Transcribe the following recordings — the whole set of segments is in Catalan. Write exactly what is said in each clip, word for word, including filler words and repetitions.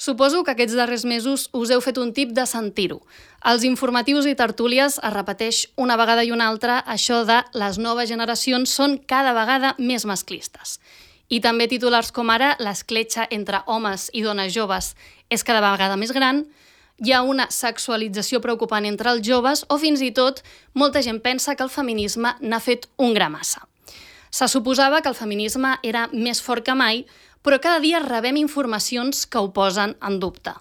Suposo que aquests darrers mesos us heu fet un tip de sentir-ho. Als informatius i tertúlies es repeteix una vegada i una altra això de les noves generacions són cada vegada més masclistes. I també titulars com ara l'escletxa entre homes i dones joves és cada vegada més gran, hi ha una sexualització preocupant entre els joves o fins i tot molta gent pensa que el feminisme n'ha fet un gra massa. Se suposava que el feminisme era més fort que mai, però cada dia rebem informacions que ho posen en dubte.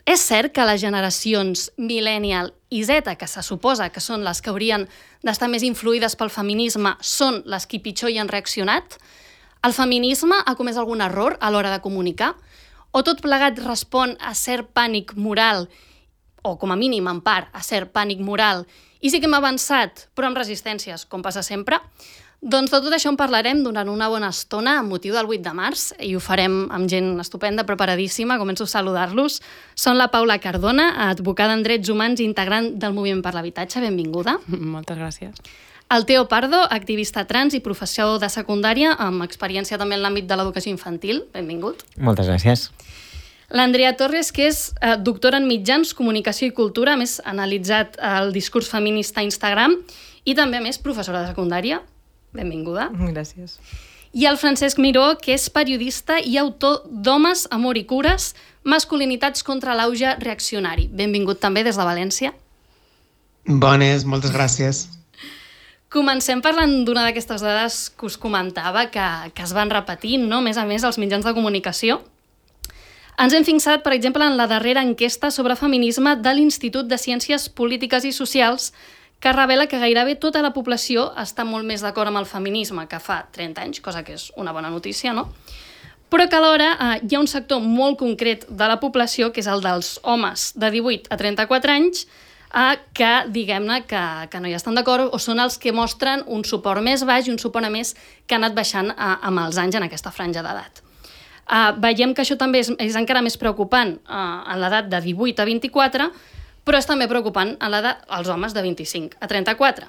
És cert que les generacions Millennial i Z, que se suposa que són les que haurien d'estar més influïdes pel feminisme, són les que pitjor hi han reaccionat? El feminisme ha comès algun error a l'hora de comunicar? O tot plegat respon a cert pànic moral, o com a mínim en part a cert pànic moral, i sí que hem avançat, però amb resistències, com passa sempre? Doncs de tot això en parlarem durant una bona estona amb motiu del vuit de març i ho farem amb gent estupenda, preparadíssima. Començo a saludar-los. Són la Paula Cardona, advocada en drets humans i integrant del Moviment per l'Habitatge. Benvinguda. Moltes gràcies. El Teo Pardo, activista trans i professor de secundària amb experiència també en l'àmbit de l'educació infantil. Benvingut. Moltes gràcies. L'Andrea Torres, que és eh, doctora en mitjans, comunicació i cultura, a més ha analitzat el discurs feminista a Instagram i també, a més, professora de secundària. Benvinguda. Gràcies. I el Francesc Miró, que és periodista i autor d'Homes, Amor i Cures, masculinitats contra l'auge reaccionari. Benvingut també des de València. Bones, moltes gràcies. Comencem parlant d'una d'aquestes dades que us comentava, que, que es van repetint, no? Més a més, als mitjans de comunicació. Ens hem fixat, per exemple, en la darrera enquesta sobre feminisme de l'Institut de Ciències Polítiques i Socials, que revela que gairebé tota la població està molt més d'acord amb el feminisme que fa trenta anys, cosa que és una bona notícia, no? Però que alhora eh, hi ha un sector molt concret de la població, que és el dels homes de divuit a trenta-quatre anys, eh, que diguem-ne que, que no hi estan d'acord o són els que mostren un suport més baix i un suport a més que ha anat baixant eh, amb els anys en aquesta franja d'edat. Eh, veiem que això també és, és encara més preocupant eh, en l'edat de divuit a vint-i-quatre, però és també preocupant a l'edat als homes de vint-i-cinc a trenta-quatre.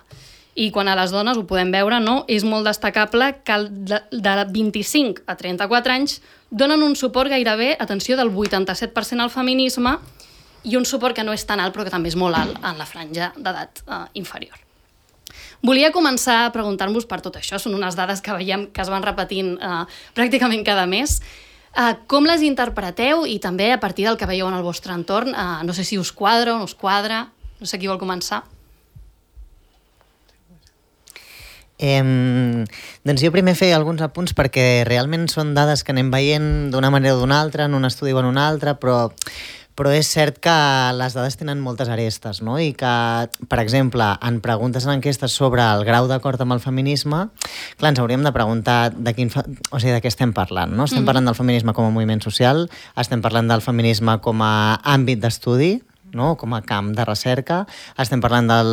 I quan a les dones ho podem veure, no, és molt destacable que de, de vint-i-cinc a trenta-quatre anys donen un suport gairebé, atenció, del vuitanta-set per cent al feminisme i un suport que no és tan alt, però que també és molt alt en la franja d'edat eh, inferior. Volia començar a preguntar-vos per tot això. Són unes dades que veiem que es van repetint eh, pràcticament cada mes. Uh, com les interpreteu i també a partir del que veieu en el vostre entorn? Uh, no sé si us quadra o no us quadra. No sé qui vol començar. Eh, doncs jo primer feia alguns apunts perquè realment són dades que anem veient d'una manera o d'una altra, en un estudi o en un altre, però, però és cert que les dades tenen moltes arestes, no? I que, per exemple, en preguntes en enquestes sobre el grau d'acord amb el feminisme, clar, ens hauríem de preguntar de, quin fa... o sigui, de què estem parlant, no? Estem parlant del feminisme com a moviment social, estem parlant del feminisme com a àmbit d'estudi, no? Com a camp de recerca, estem parlant del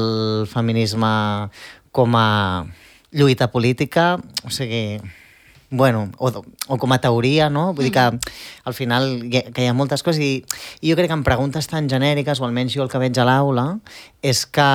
feminisme com a lluita política, o sigui... bueno, o, o com a teoria, no? Vull dir que al final hi ha, que hi ha moltes coses i, i jo crec que en preguntes tan genèriques, o almenys jo el que veig a l'aula, és que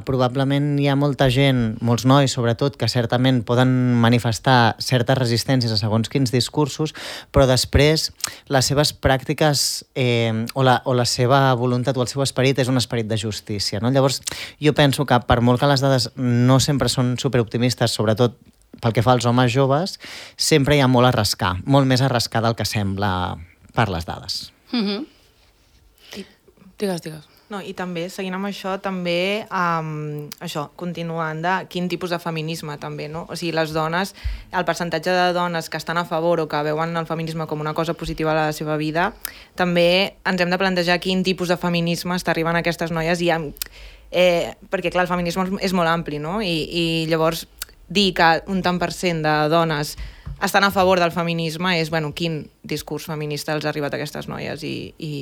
probablement hi ha molta gent, molts nois sobretot, que certament poden manifestar certes resistències a segons quins discursos, però després les seves pràctiques eh, o, la, o la seva voluntat o el seu esperit és un esperit de justícia, no? Llavors jo penso que per molt que les dades no sempre són superoptimistes, sobretot pel que fa als homes joves, sempre hi ha molt a rascar, molt més a rascar del que sembla per les dades. Mm-hmm. I, digues, digues. No, i també, seguint amb això, també, um, això, continuant de quin tipus de feminisme, també, no? O sigui, les dones, el percentatge de dones que estan a favor o que veuen el feminisme com una cosa positiva a la seva vida, també ens hem de plantejar quin tipus de feminisme està arribant a aquestes noies i amb, eh, perquè, clar, el feminisme és molt ampli, no? I, i llavors dir que un tant per cent de dones estan a favor del feminisme és, bueno, quin discurs feminista els ha arribat a aquestes noies i, i,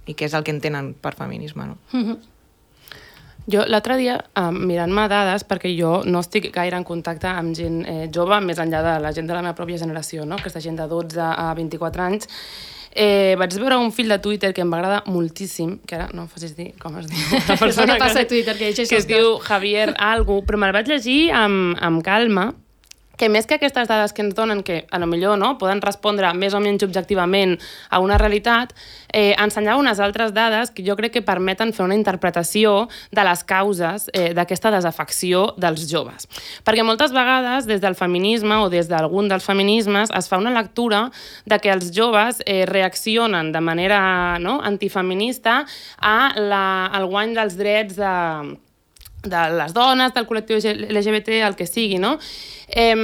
i què és el que entenen per feminisme, no? Mm-hmm. Jo l'altre dia, eh, mirant-me dades, perquè jo no estic gaire en contacte amb gent eh, jove, més enllà de la gent de la meva pròpia generació, no? Aquesta gent de dotze a vint-i-quatre anys, Eh, vaig veure un fil de Twitter que em va agradar moltíssim, que ara no em facis dir com es diu la persona que passa que, a Twitter, que, que es diu Javier algo, però me'l vaig llegir amb, amb calma, que més que aquestes dades que ens donen, que a lo millor no, poden respondre més o menys objectivament a una realitat, eh, ensenyava unes altres dades que jo crec que permeten fer una interpretació de les causes eh, d'aquesta desafecció dels joves. Perquè moltes vegades des del feminisme o des d'algun dels feminismes es fa una lectura de que els joves eh, reaccionen de manera no, antifeminista a la, al guany dels drets de de les dones, del col·lectiu L G B T, el que sigui, no? Eh,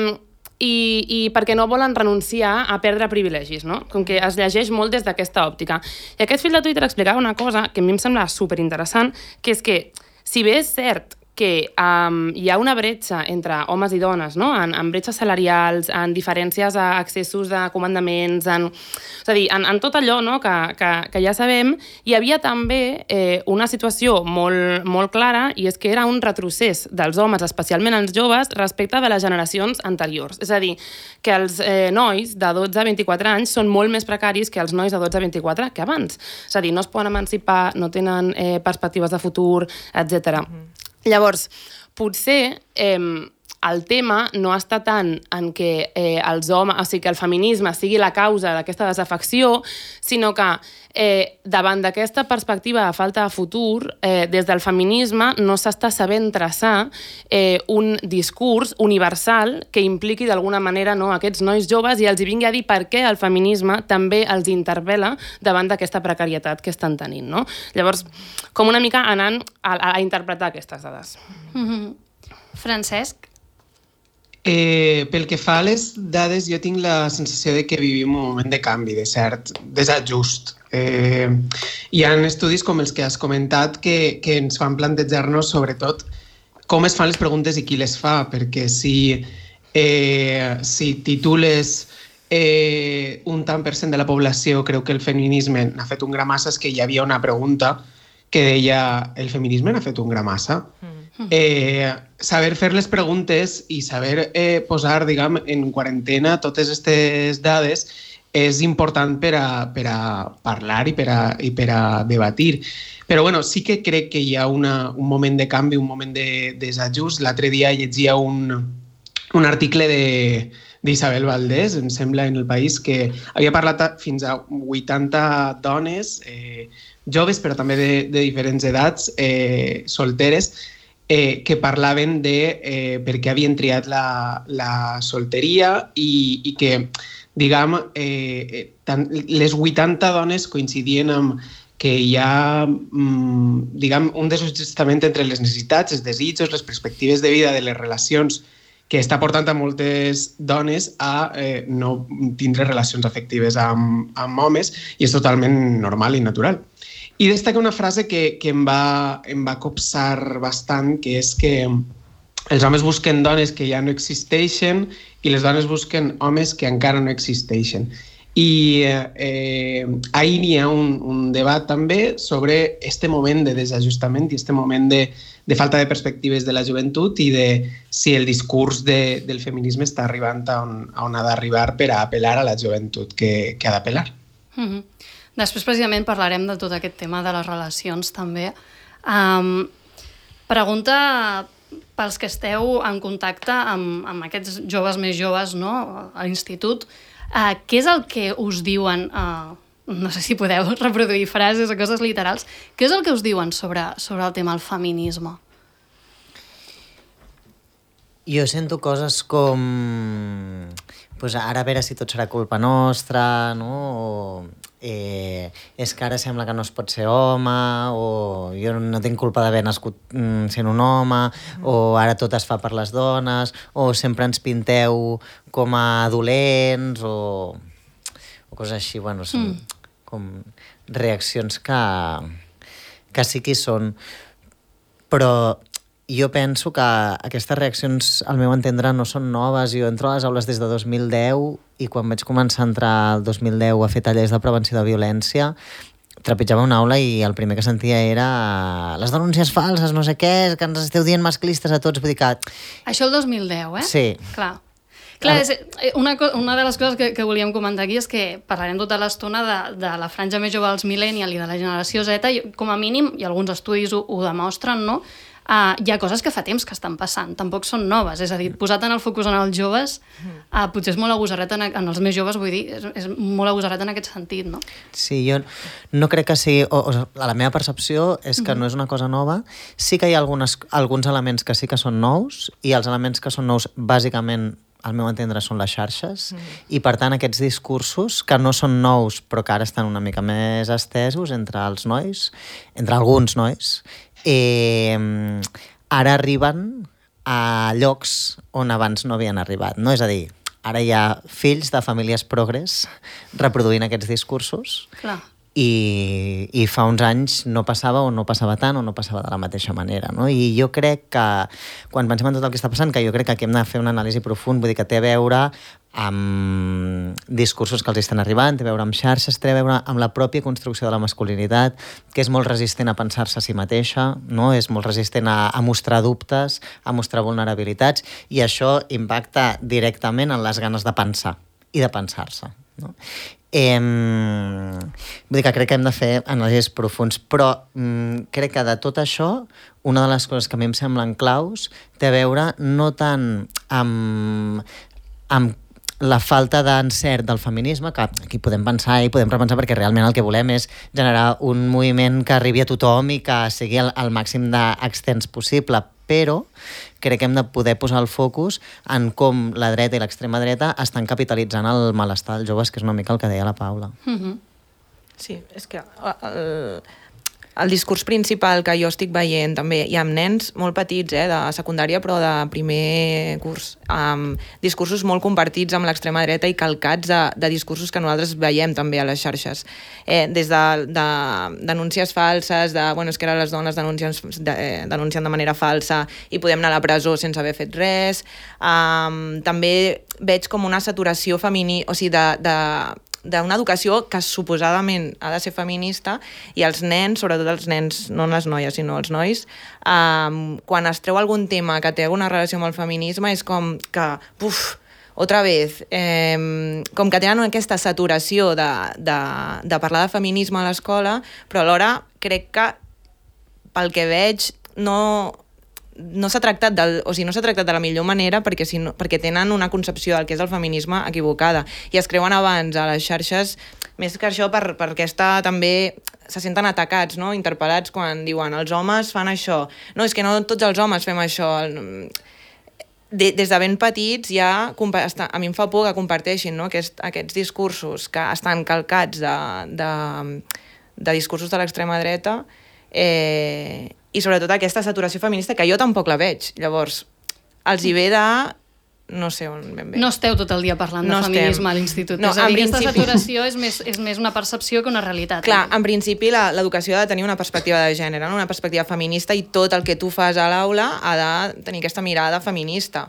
i, i perquè no volen renunciar a perdre privilegis, no? Com que es llegeix molt des d'aquesta òptica. I aquest fil de Twitter explicava una cosa que a mi em sembla superinteressant, que és que, si bé és cert que um, hi ha una bretxa entre homes i dones, no? en, en bretxes salarials, en diferències a accessos a comandaments, en, és a dir, en, en tot allò no? que, que, que ja sabem, hi havia també eh, una situació molt, molt clara, i és que era un retrocés dels homes, especialment els joves, respecte de les generacions anteriors. És a dir, que els eh, nois de dotze a vint-i-quatre anys són molt més precaris que els nois de dotze a vint-i-quatre que abans. És a dir, no es poden emancipar, no tenen eh, perspectives de futur, etcètera. Mm-hmm. Llavors, potser eh, el tema no està tant en que eh, els homes, o sigui, que el feminisme sigui la causa d'aquesta desafecció, sinó que eh, davant d'aquesta perspectiva de falta de futur, eh, des del feminisme no s'està sabent traçar eh, un discurs universal que impliqui d'alguna manera no, aquests nois joves i els hi vingui a dir per què el feminisme també els interpel·la davant d'aquesta precarietat que estan tenint. No? Llavors, com una mica anant a, a interpretar aquestes dades. Mm-hmm. Francesc? Eh, pel que fa a les dades, jo tinc la sensació de que vivim un moment de canvi, de cert desajust. Eh, hi ha estudis com els que has comentat que, que ens fan plantejar-nos sobretot com es fan les preguntes i qui les fa, perquè si, eh, si titules eh, un tant per cent de la població creu que el feminisme n'ha fet un gra massa, és que hi havia una pregunta que deia el feminisme n'ha fet un gra massa. Mm. Eh, saber fer les preguntes i saber eh, posar, diguem, en quarantena totes aquestes dades és important per a, per a parlar i per a, i per a debatir. Però bueno, sí que crec que hi ha una, un moment de canvi, un moment de, de desajust. L'altre dia llegia un, un article de, d'Isabel Valdés, em sembla, en El País, que havia parlat fins a vuitanta dones, eh, joves, però també de, de diferents edats, eh, solteres, Eh, que parlaven de eh, per què havien triat la, la solteria i, i que, diguem, eh, tant, les vuitanta dones coincidien amb que hi ha, mm, diguem, un desajustament entre les necessitats, els desitjos, les perspectives de vida de les relacions que està portant a moltes dones a eh, no tindre relacions afectives amb, amb homes, i és totalment normal i natural. I destaca una frase que, que em, va, em va copsar bastant, que és que els homes busquen dones que ja no existeixen i les dones busquen homes que encara no existeixen. I eh, ahir hi ha un, un debat també sobre este moment de desajustament i este moment de, de falta de perspectives de la joventut i de si el discurs de, del feminisme està arribant a on, a on ha d'arribar per a apel·lar a la joventut que, que ha d'apel·lar. Mm-hmm. Després, precisament, parlarem de tot aquest tema de les relacions, també. Um, pregunta pels que esteu en contacte amb, amb aquests joves més joves, no?, a l'institut. Uh, què és el que us diuen, uh, no sé si podeu reproduir frases o coses literals, què és el que us diuen sobre, sobre el tema del feminisme? Jo sento coses com... Pues ara a veure si tot serà culpa nostra, no? O eh, és que ara sembla que no es pot ser home, o jo no tinc culpa d'haver nascut mm, sent un home, mm. o ara tot es fa per les dones, o sempre ens pinteu com a dolents, o, o coses així. Bueno, són mm. com reaccions que, que sí que hi són. Però jo penso que aquestes reaccions, al meu entendre, no són noves. Jo entro a les aules des de dos mil deu i quan vaig començar a entrar el dos mil deu a fer tallers de prevenció de violència, trepitjava una aula i el primer que sentia era les denúncies falses, no sé què, que ens esteu dient masclistes a tots. Vull dir que... Això el dos mil deu, eh? Sí. Clar. Clar, és, una, una de les coses que, que volíem comentar aquí és que parlarem tota l'estona de, de la franja més jove dels millennial i de la generació Z, i com a mínim, i alguns estudis ho, ho demostren, no?, Uh, hi ha coses que fa temps que estan passant, tampoc són noves, és a dir, posat en el focus en els joves, uh, potser és molt agosarret en, en els més joves, vull dir, és, és molt agosarret en aquest sentit, no? Sí, jo no crec que sigui... O, o, la meva percepció és que mm-hmm. no és una cosa nova. Sí que hi ha algunes, alguns elements que sí que són nous, i els elements que són nous, bàsicament, al meu entendre, són les xarxes, mm. i per tant aquests discursos, que no són nous, però que ara estan una mica més estesos entre els nois, entre alguns nois, eh, ara arriben a llocs on abans no havien arribat, no? És a dir, ara hi ha fills de famílies progres reproduint aquests discursos. Clar. I, i fa uns anys no passava o no passava tant o no passava de la mateixa manera, no? I jo crec que, quan pensem en tot el que està passant, que jo crec que aquí hem de fer una anàlisi profund, vull dir que té a veure amb discursos que els estan arribant, té a veure amb xarxes, té a veure amb la pròpia construcció de la masculinitat, que és molt resistent a pensar-se a si mateixa, no? És molt resistent a, a mostrar dubtes, a mostrar vulnerabilitats, i això impacta directament en les ganes de pensar i de pensar-se, no? Eh, vull dir que crec que hem de fer anàlisis profunds, però mm, crec que de tot això, una de les coses que a mi em semblen claus té a veure no tant amb, amb la falta d'encert del feminisme, que aquí podem pensar i podem repensar, perquè realment el que volem és generar un moviment que arribi a tothom i que sigui el, el màxim d'extens possible, però crec que hem de poder posar el focus en com la dreta i l'extrema dreta estan capitalitzant el malestar dels joves, que és una mica el que deia la Paula. Mm-hmm. Sí, és que el, el discurs principal que jo estic veient també, hi ha nens molt petits, eh, de secundària, però de primer curs, amb discursos molt compartits amb l'extrema dreta i calcats de, de discursos que nosaltres veiem també a les xarxes. Eh, des de, de denúncies falses, de, bueno, és que ara les dones denuncien de, eh, denuncien de manera falsa i podem anar a la presó sense haver fet res. Um, també veig com una saturació femini, o sigui, de... de d'una educació que suposadament ha de ser feminista, i els nens, sobretot els nens, no les noies, sinó els nois, um, quan es treu algun tema que té alguna relació amb el feminisme, és com que, puf, otra vez, eh, com que tenen aquesta saturació de, de, de parlar de feminisme a l'escola, però alhora crec que, pel que veig, no... no s'ha tractat del, o sigui, no s'ha tractat de la millor manera, perquè, si no, perquè tenen una concepció del que és el feminisme equivocada, i es creuen abans a les xarxes, més que això per, per aquesta també se senten atacats, no? Interpel·lats quan diuen els homes fan això, no, és que no tots els homes fem això. De, des de ben petits ja, a mi em fa por que comparteixin, no? Aquest, aquests discursos que estan calcats de, de, de discursos de l'extrema dreta, eh, i sobretot aquesta saturació feminista, que jo tampoc la veig. Llavors, els hi ve de... no sé on ben bé. No esteu tot el dia parlant no de feminisme estem. A l'institut. No, és a dir, aquesta principi... saturació és més, és més una percepció que una realitat. Clar, en principi l'educació ha de tenir una perspectiva de gènere, no? Una perspectiva feminista, i tot el que tu fas a l'aula ha de tenir aquesta mirada feminista.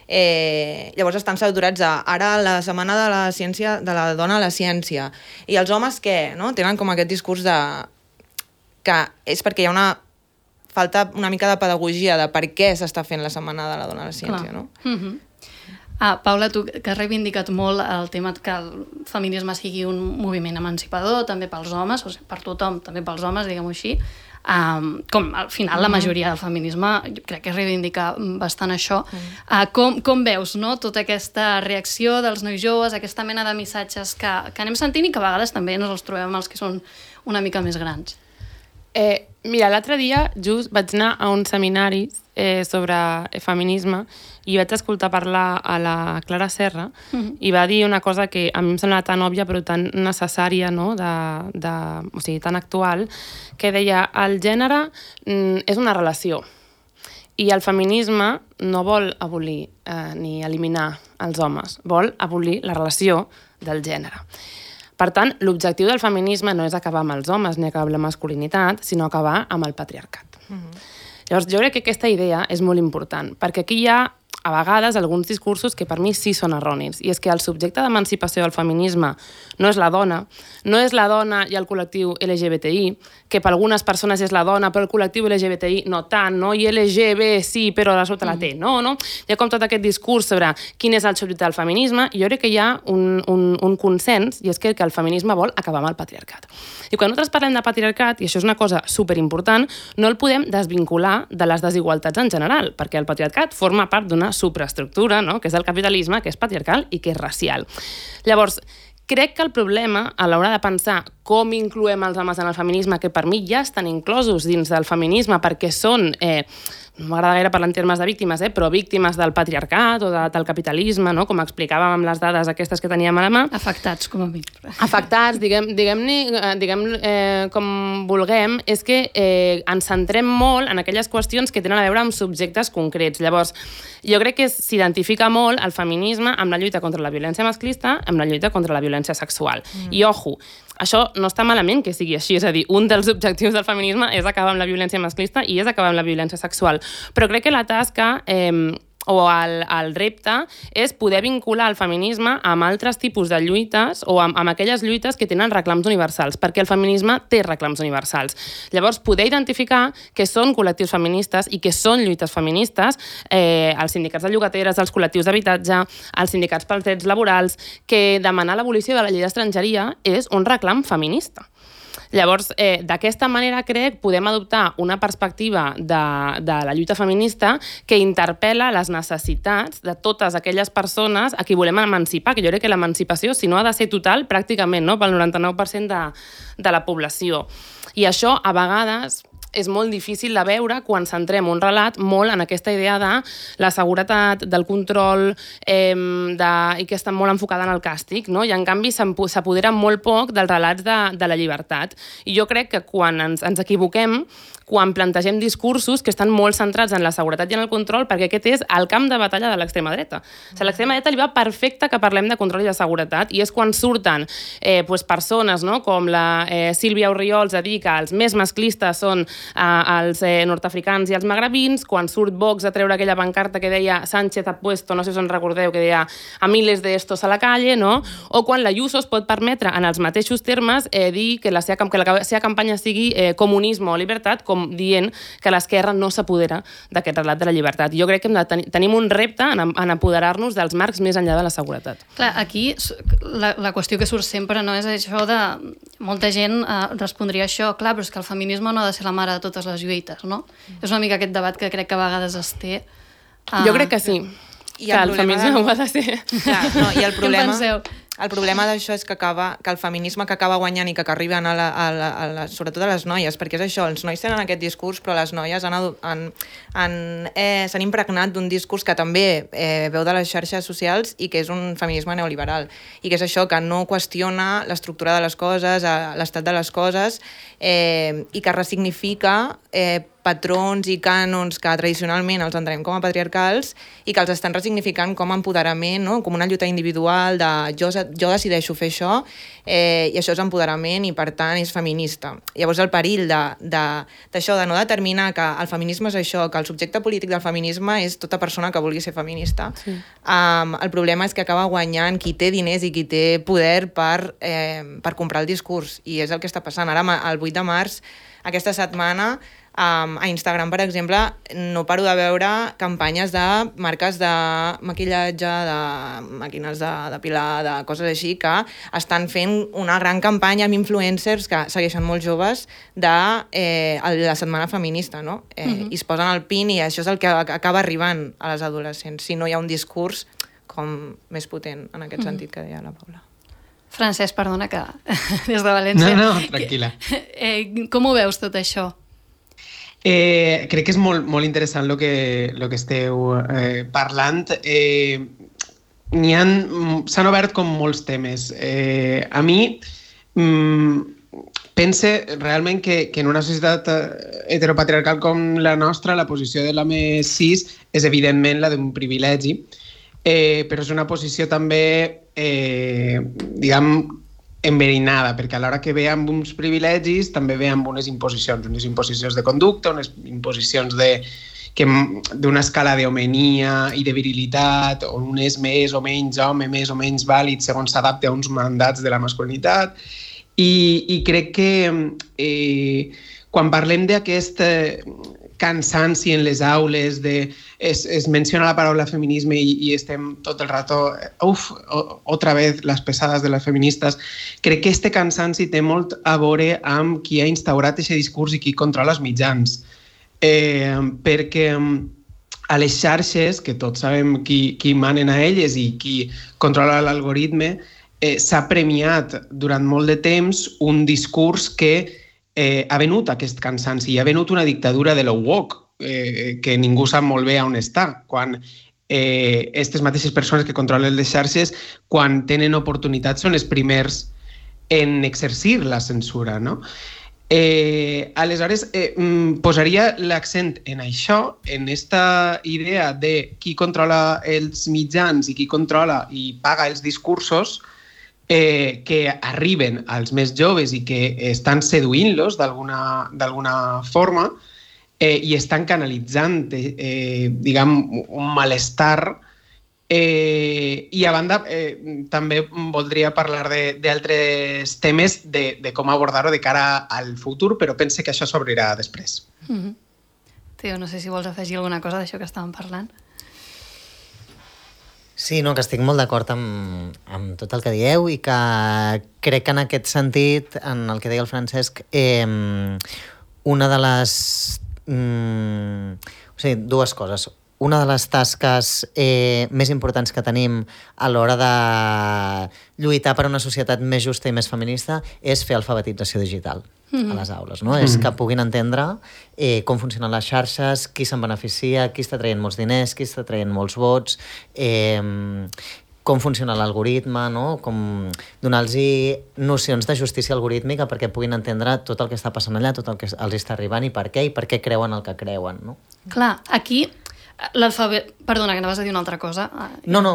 Eh, llavors estan saturats a ara la setmana de la ciència, de la dona a la ciència. I els homes què? No? Tenen com aquest discurs de... que és perquè hi ha una falta una mica de pedagogia de per què s'està fent la setmana de la dona a la ciència, clar, no? Mm-hmm. Ah, Paula, tu que has reivindicat molt el tema que el feminisme sigui un moviment emancipador, també pels homes, o sigui, per tothom, també pels homes, diguem-ho així, um, com al final mm-hmm. la majoria del feminisme, jo crec que reivindica bastant això. Mm. Uh, com, com veus, no?, tota aquesta reacció dels nois joves, aquesta mena de missatges que, que anem sentint i que a vegades també ens els trobem amb els que són una mica més grans? Eh, mira, l'altre dia just vaig anar a un seminari eh, sobre feminisme i vaig escoltar parlar a la Clara Serra mm-hmm. i va dir una cosa que a mi em sembla tan òbvia però tan necessària, no? de, de, o sigui, tan actual, que deia el gènere mm, és una relació i el feminisme no vol abolir eh, ni eliminar els homes, vol abolir la relació del gènere. Per tant, l'objectiu del feminisme no és acabar amb els homes ni acabar amb la masculinitat, sinó acabar amb el patriarcat. Mm-hmm. Llavors, jo crec que aquesta idea és molt important, perquè aquí hi ha a vegades alguns discursos que per mi sí són erronis, i és que el subjecte d'emancipació del feminisme no és la dona, no és la dona i el col·lectiu L G B T I, que per algunes persones és la dona, però el col·lectiu L G B T I no tant, no? I L G B sí, però la sota la T, no, no? Hi ha com tot aquest discurs sobre quin és el subjecte del feminisme, i jo crec que hi ha un, un, un consens, i és que, que el feminisme vol acabar amb el patriarcat. I quan nosaltres parlem de patriarcat, i això és una cosa superimportant, no el podem desvincular de les desigualtats en general, perquè el patriarcat forma part d'una superestructura, no? Que és el capitalisme, que és patriarcal i que és racial. Llavors, crec que el problema, a l'hora de pensar com incloem els homes en el feminisme, que per mi ja estan inclosos dins del feminisme perquè són, eh, no m'agrada gaire parlar en termes de víctimes, eh, però víctimes del patriarcat o de, del capitalisme, no? Com explicàvem amb les dades aquestes que teníem a la mà. Afectats, com a mi. Afectats, diguem, diguem-ne diguem, eh, com vulguem, és que eh, ens centrem molt en aquelles qüestions que tenen a veure amb subjectes concrets. Llavors, jo crec que s'identifica molt el feminisme amb la lluita contra la violència masclista, amb la lluita contra la violència sexual. Mm. I, ojo, això no està malament que sigui així, és a dir, un dels objectius del feminisme és acabar amb la violència masclista i és acabar amb la violència sexual. Però crec que la tasca eh, o el, el repte és poder vincular el feminisme amb altres tipus de lluites o amb, amb aquelles lluites que tenen reclams universals, perquè el feminisme té reclams universals. Llavors, poder identificar que són col·lectius feministes i que són lluites feministes, eh, els sindicats de llogateres, els col·lectius d'habitatge, els sindicats pels drets laborals, que demanar l'abolició de la llei d'estrangeria és un reclam feminista. Llavors, eh, d'aquesta manera, crec, podem adoptar una perspectiva de, de la lluita feminista que interpel·la les necessitats de totes aquelles persones a qui volem emancipar, que jo crec que l'emancipació, si no ha de ser total, pràcticament, no?, pel noranta-nou per cent de, de la població. I això, a vegades, és molt difícil de veure quan centrem un relat molt en aquesta idea de la seguretat, del control, eh, de, i que està molt enfocada en el càstig, no? I en canvi s'apodera molt poc dels relats de, de la llibertat. I jo crec que quan ens, ens equivoquem, quan plantegem discursos que estan molt centrats en la seguretat i en el control, perquè aquest és el camp de batalla de l'extrema dreta. O sigui, l'extrema dreta li va perfecte que parlem de control i de seguretat, i és quan surten eh, pues, persones, no?, com la eh, Sílvia Orriols a dir que els més masclistes són eh, els eh, nord-africans i els magrebins, quan surt Vox a treure aquella pancarta que deia Sánchez ha puesto, no sé si us en recordeu, que deia a miles de estos a la calle, no?, o quan la Ayuso es pot permetre en els mateixos termes eh, dir que la seva, que la seva campanya sigui eh, comunisme o libertat, com dient que l'esquerra no s'apodera d'aquest relat de la llibertat. Jo crec que hem de tenir, tenim un repte en, en apoderar-nos dels marcs més enllà de la seguretat. Clar, aquí la, la qüestió que surt sempre no és això de... Molta gent eh, respondria això, clar, però és que el feminisme no ha de ser la mare de totes les lluites, no? Mm. És una mica aquest debat que crec que a vegades es té. Uh, jo crec que sí, I que el, el feminisme de... ho ha de ser. Clar, no, i el problema... Què en penseu? El problema d'això és que, acaba, que el feminisme que acaba guanyant i que, que arriben a la, a la, a la, sobretot a les noies, perquè és això, els nois tenen aquest discurs, però les noies han, han, han, eh, s'han impregnat d'un discurs que també eh, veu de les xarxes socials i que és un feminisme neoliberal. I que és això, que no qüestiona l'estructura de les coses, l'estat de les coses, eh, i que ressignifica eh, patrons i cànons que tradicionalment els entenem com a patriarcals i que els estan ressignificant com a empoderament, no?, com una lluita individual de jo, jo decideixo fer això eh, i això és empoderament i per tant és feminista. Llavors el perill d'això, de, de, de no determinar que el feminisme és això, que el subjecte polític del feminisme és tota persona que vulgui ser feminista. Sí. Um, el problema és que acaba guanyant qui té diners i qui té poder per, eh, per comprar el discurs, i és el que està passant. Ara, el vuit de març, aquesta setmana, Um, a Instagram, per exemple, no paro de veure campanyes de marques de maquillatge, de màquines de depilar, de coses així, que estan fent una gran campanya amb influencers que segueixen molt joves de eh, la setmana feminista, no? Eh, uh-huh. I es posen el pin i això és el que acaba arribant a les adolescents, si no hi ha un discurs com més potent en aquest uh-huh. sentit que deia la Paula. Francesc, perdona que des de València... No, no, tranquil·la. Eh, com ho veus tot això? Eh, crec que és molt, molt interessant el que, lo que esteu eh, parlant. Eh, n'hi han, s'han obert com molts temes. Eh, a mi mm, pense realment que, que en una societat heteropatriarcal com la nostra la posició de l'home cis és evidentment la d'un privilegi, eh, però és una posició també, eh, diguem, enverinada, perquè a l'hora que ve amb uns privilegis també ve amb unes imposicions, unes imposicions de conducta, unes imposicions de que d'una escala d'homenia i de virilitat, on un és més o menys home, més o menys vàlid, segons s'adapta a uns mandats de la masculinitat. I, i crec que eh, quan parlem d'aquest eh, cansanci en les aules, de, es, es menciona la paraula feminisme i, i estem tot el rato, uf, otra vez les pesades de les feministes, crec que este cansanci té molt a veure amb qui ha instaurat aquest discurs i qui controla els mitjans. Eh, perquè a les xarxes, que tots sabem qui, qui manen a elles i qui controla l'algoritme, eh, s'ha premiat durant molt de temps un discurs que Eh, ha venut aquest cansanci, hi ha venut una dictadura de lo woke, eh, que ningú sap molt bé on està, quan eh, aquestes mateixes persones que controlen les xarxes, quan tenen oportunitats, són els primers en exercir la censura, no? Eh, aleshores, eh, posaria l'accent en això, en esta idea de qui controla els mitjans i qui controla i paga els discursos, Eh, que arriben als més joves i que estan seduint-los d'alguna d'alguna forma eh, i estan canalitzant eh, diguem, un malestar eh, i a banda eh, també voldria parlar d'altres temes de, de com abordar-ho de cara al futur, però pense que això s'obrirà després. Mm-hmm. Teo, no sé si vols afegir alguna cosa d'això que estàvem parlant. Sí, no, que estic molt d'acord amb, amb tot el que dieu i que crec que en aquest sentit, en el que deia el Francesc, eh, una de les... Mm, o sigui, dues coses. Una de les tasques eh, més importants que tenim a l'hora de lluitar per una societat més justa i més feminista és fer alfabetització digital mm-hmm. a les aules, no? Mm-hmm. És que puguin entendre eh, com funcionen les xarxes, qui se'n beneficia, qui està traient molts diners, qui està traient molts vots, eh, com funciona l'algoritme, no? Com donar-los nocions de justícia algorítmica perquè puguin entendre tot el que està passant allà, tot el que els està arribant i per què, i per què creuen el que creuen, no? Clar, aquí l'alfabet... Perdona, que anaves a dir una altra cosa. No, no.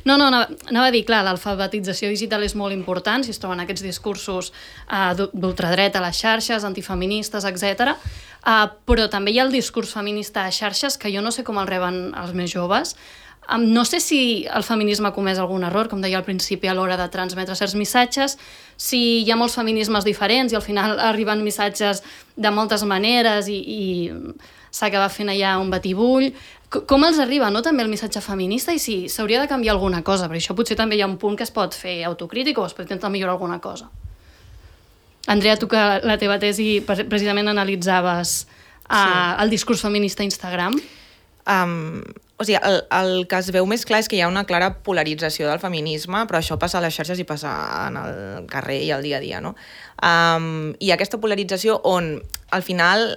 No, no, anava, anava a dir, clar, l'alfabetització digital és molt important, si es troben aquests discursos uh, d'ultradreta a les xarxes, antifeministes, etcètera. Uh, però també hi ha el discurs feminista a xarxes, que jo no sé com el reben els més joves. Um, no sé si el feminisme ha comès algun error, com deia al principi, a l'hora de transmetre certs missatges, si hi ha molts feminismes diferents i al final arriben missatges de moltes maneres i, i s'acaba fent allà un batibull. Com els arriba, no, també el missatge feminista i si s'hauria de canviar alguna cosa, perquè això potser també hi ha un punt que es pot fer autocrític o es pot intentar millorar alguna cosa. Andrea, tu que la teva tesi precisament analitzaves uh, sí. el discurs feminista a Instagram. Um, o sigui, el, el que es veu més clar és que hi ha una clara polarització del feminisme, però això passa a les xarxes i passa en el carrer i al dia a dia, no? Um, I aquesta polarització on, al final,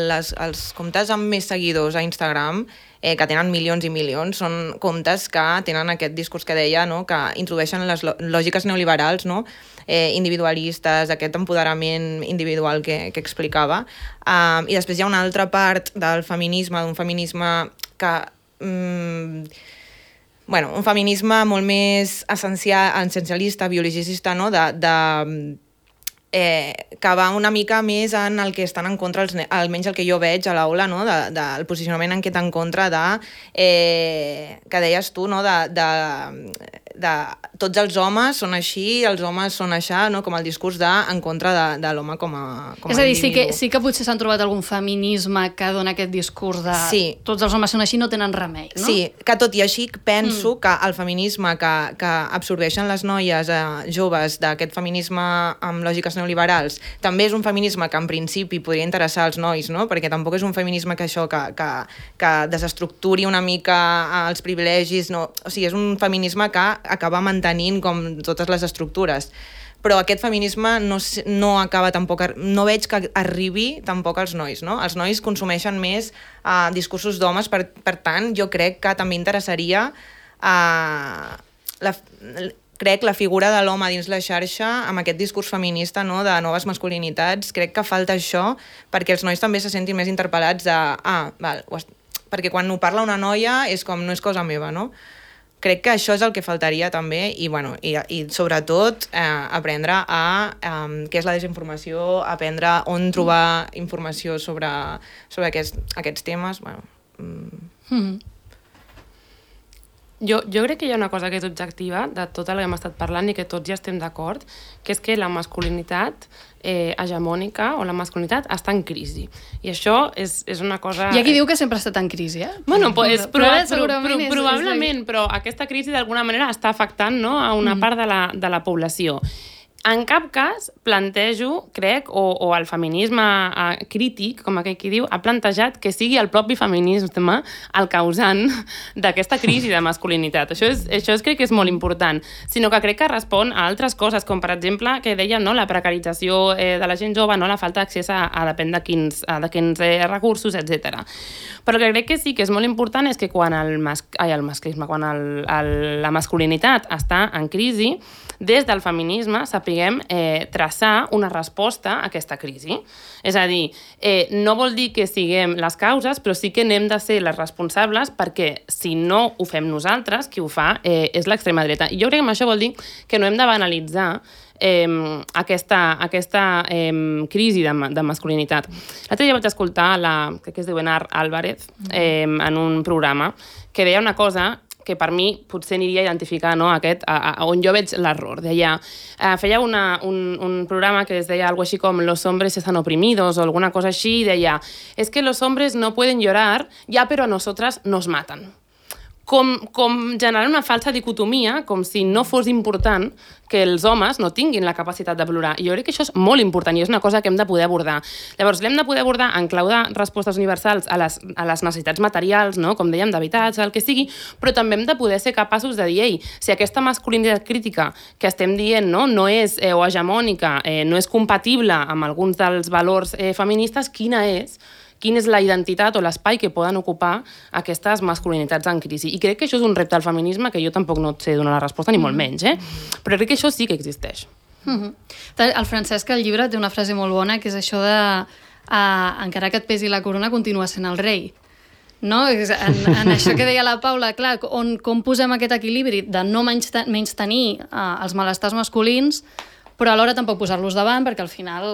les, els comptes amb més seguidors a Instagram, eh, que tenen milions i milions, són comptes que tenen aquest discurs que deia, no? Que introdueixen les lògiques neoliberals, no? eh, individualistes, aquest empoderament individual que, que explicava. Um, I després hi ha una altra part del feminisme, d'un feminisme que... Mm, bueno, un feminisme molt més essencial, essencialista, biologicista, no? de, de, eh, que va una mica més en el que estan en contra, els, almenys el que jo veig a l'aula, no? de, de, el posicionament en què està en contra de, eh, que deies tu, no? de, de, de tots els homes són així, els homes són això, no? Com el discurs de, en contra de, de l'home com a, com a És a dir, individu. sí que, sí que potser s'han trobat algun feminisme que dona aquest discurs de sí. tots els homes són així, no tenen remei, no? Sí, que tot i així penso mm. que el feminisme que, que absorbeixen les noies eh, joves d'aquest feminisme amb lògiques neoliberals també és un feminisme que en principi podria interessar als nois, no? Perquè tampoc és un feminisme que això, que, que, que desestructuri una mica els privilegis, no? O sigui, és un feminisme que acaba mantenint com totes les estructures. Però aquest feminisme no, no acaba tampoc, no veig que arribi tampoc als nois, no? Els nois consumeixen més uh, discursos d'homes, per, per tant, jo crec que també interessaria uh, la, crec la figura de l'home dins la xarxa amb aquest discurs feminista, no? De noves masculinitats. Crec que falta això perquè els nois també se sentin més interpel·lats de, ah, val, perquè quan ho parla una noia és com, no és cosa meva, no? Crec que això és el que faltaria també i, bueno, i, i sobretot eh, aprendre a eh, què és la desinformació, aprendre on trobar informació sobre, sobre aquests, aquests temes. Bueno, Mm. Mm. Jo, jo crec que hi ha una cosa que és objectiva de tot el que hem estat parlant i que tots ja estem d'acord, que és que la masculinitat eh, hegemònica o la masculinitat està en crisi. I això és, és una cosa... Hi ha qui diu que sempre ha estat en crisi, eh? Bueno, pues, però, proba, però, pro, pro, és, probablement, és la... però aquesta crisi d'alguna manera està afectant, no, a una mm. part de la, de la població. En cap cas plantejo, crec, o, o el feminisme eh, crític, com aquell qui diu, ha plantejat que sigui el propi feminisme el causant d'aquesta crisi de masculinitat. Això, és, això és, crec que és molt important, sinó que crec que respon a altres coses, com per exemple, que dèiem, no, la precarització eh, de la gent jove, no, la falta d'accés a, a depèn de quins, a, de quins eh, recursos, etcètera. Però el que crec que sí que és molt important és que quan el, mas, ai, el masclisme, quan el, el, la masculinitat està en crisi, des del feminisme sapiguem eh, traçar una resposta a aquesta crisi. És a dir, eh, no vol dir que siguem les causes, però sí que n'hem de ser les responsables perquè si no ho fem nosaltres, qui ho fa eh, és l'extrema dreta. I jo crec que això vol dir que no hem de banalitzar eh, aquesta, aquesta eh, crisi de, de masculinitat. L'altre dia vaig escoltar la, crec que es diu Enar Álvarez eh, en un programa que deia una cosa que per mi potser aniria a identificar, no, aquest, a, a, on jo veig l'error. Deia, eh, feia una, un, un programa que es deia algo així com los hombres están oprimidos o alguna cosa així, i deia, es que los hombres no pueden llorar, ya pero a nosotras nos matan. Com, com generar una falsa dicotomia, com si no fos important que els homes no tinguin la capacitat de plorar. I jo crec que això és molt important i és una cosa que hem de poder abordar. Llavors, l'hem de poder abordar en clau de respostes universals a les, a les necessitats materials, no? Com dèiem, d'habitatge, el que sigui, però també hem de poder ser capaços de dir, ei, si aquesta masculinitat crítica que estem dient no, no és eh, o hegemònica, eh, no és compatible amb alguns dels valors eh, feministes, quina és? Quina és la identitat o l'espai que poden ocupar aquestes masculinitats en crisi. I crec que això és un repte al feminisme que jo tampoc no et sé donar la resposta, ni molt menys, eh? Però crec que això sí que existeix. Mm-hmm. El Francesc al llibre té una frase molt bona, que és això de uh, encara que et pesi la corona, continua sent el rei. No? En, en això que deia la Paula, clar, on, com posem aquest equilibri de no menys, menys tenir uh, els malestars masculins, però alhora tampoc posar-los davant, perquè al final,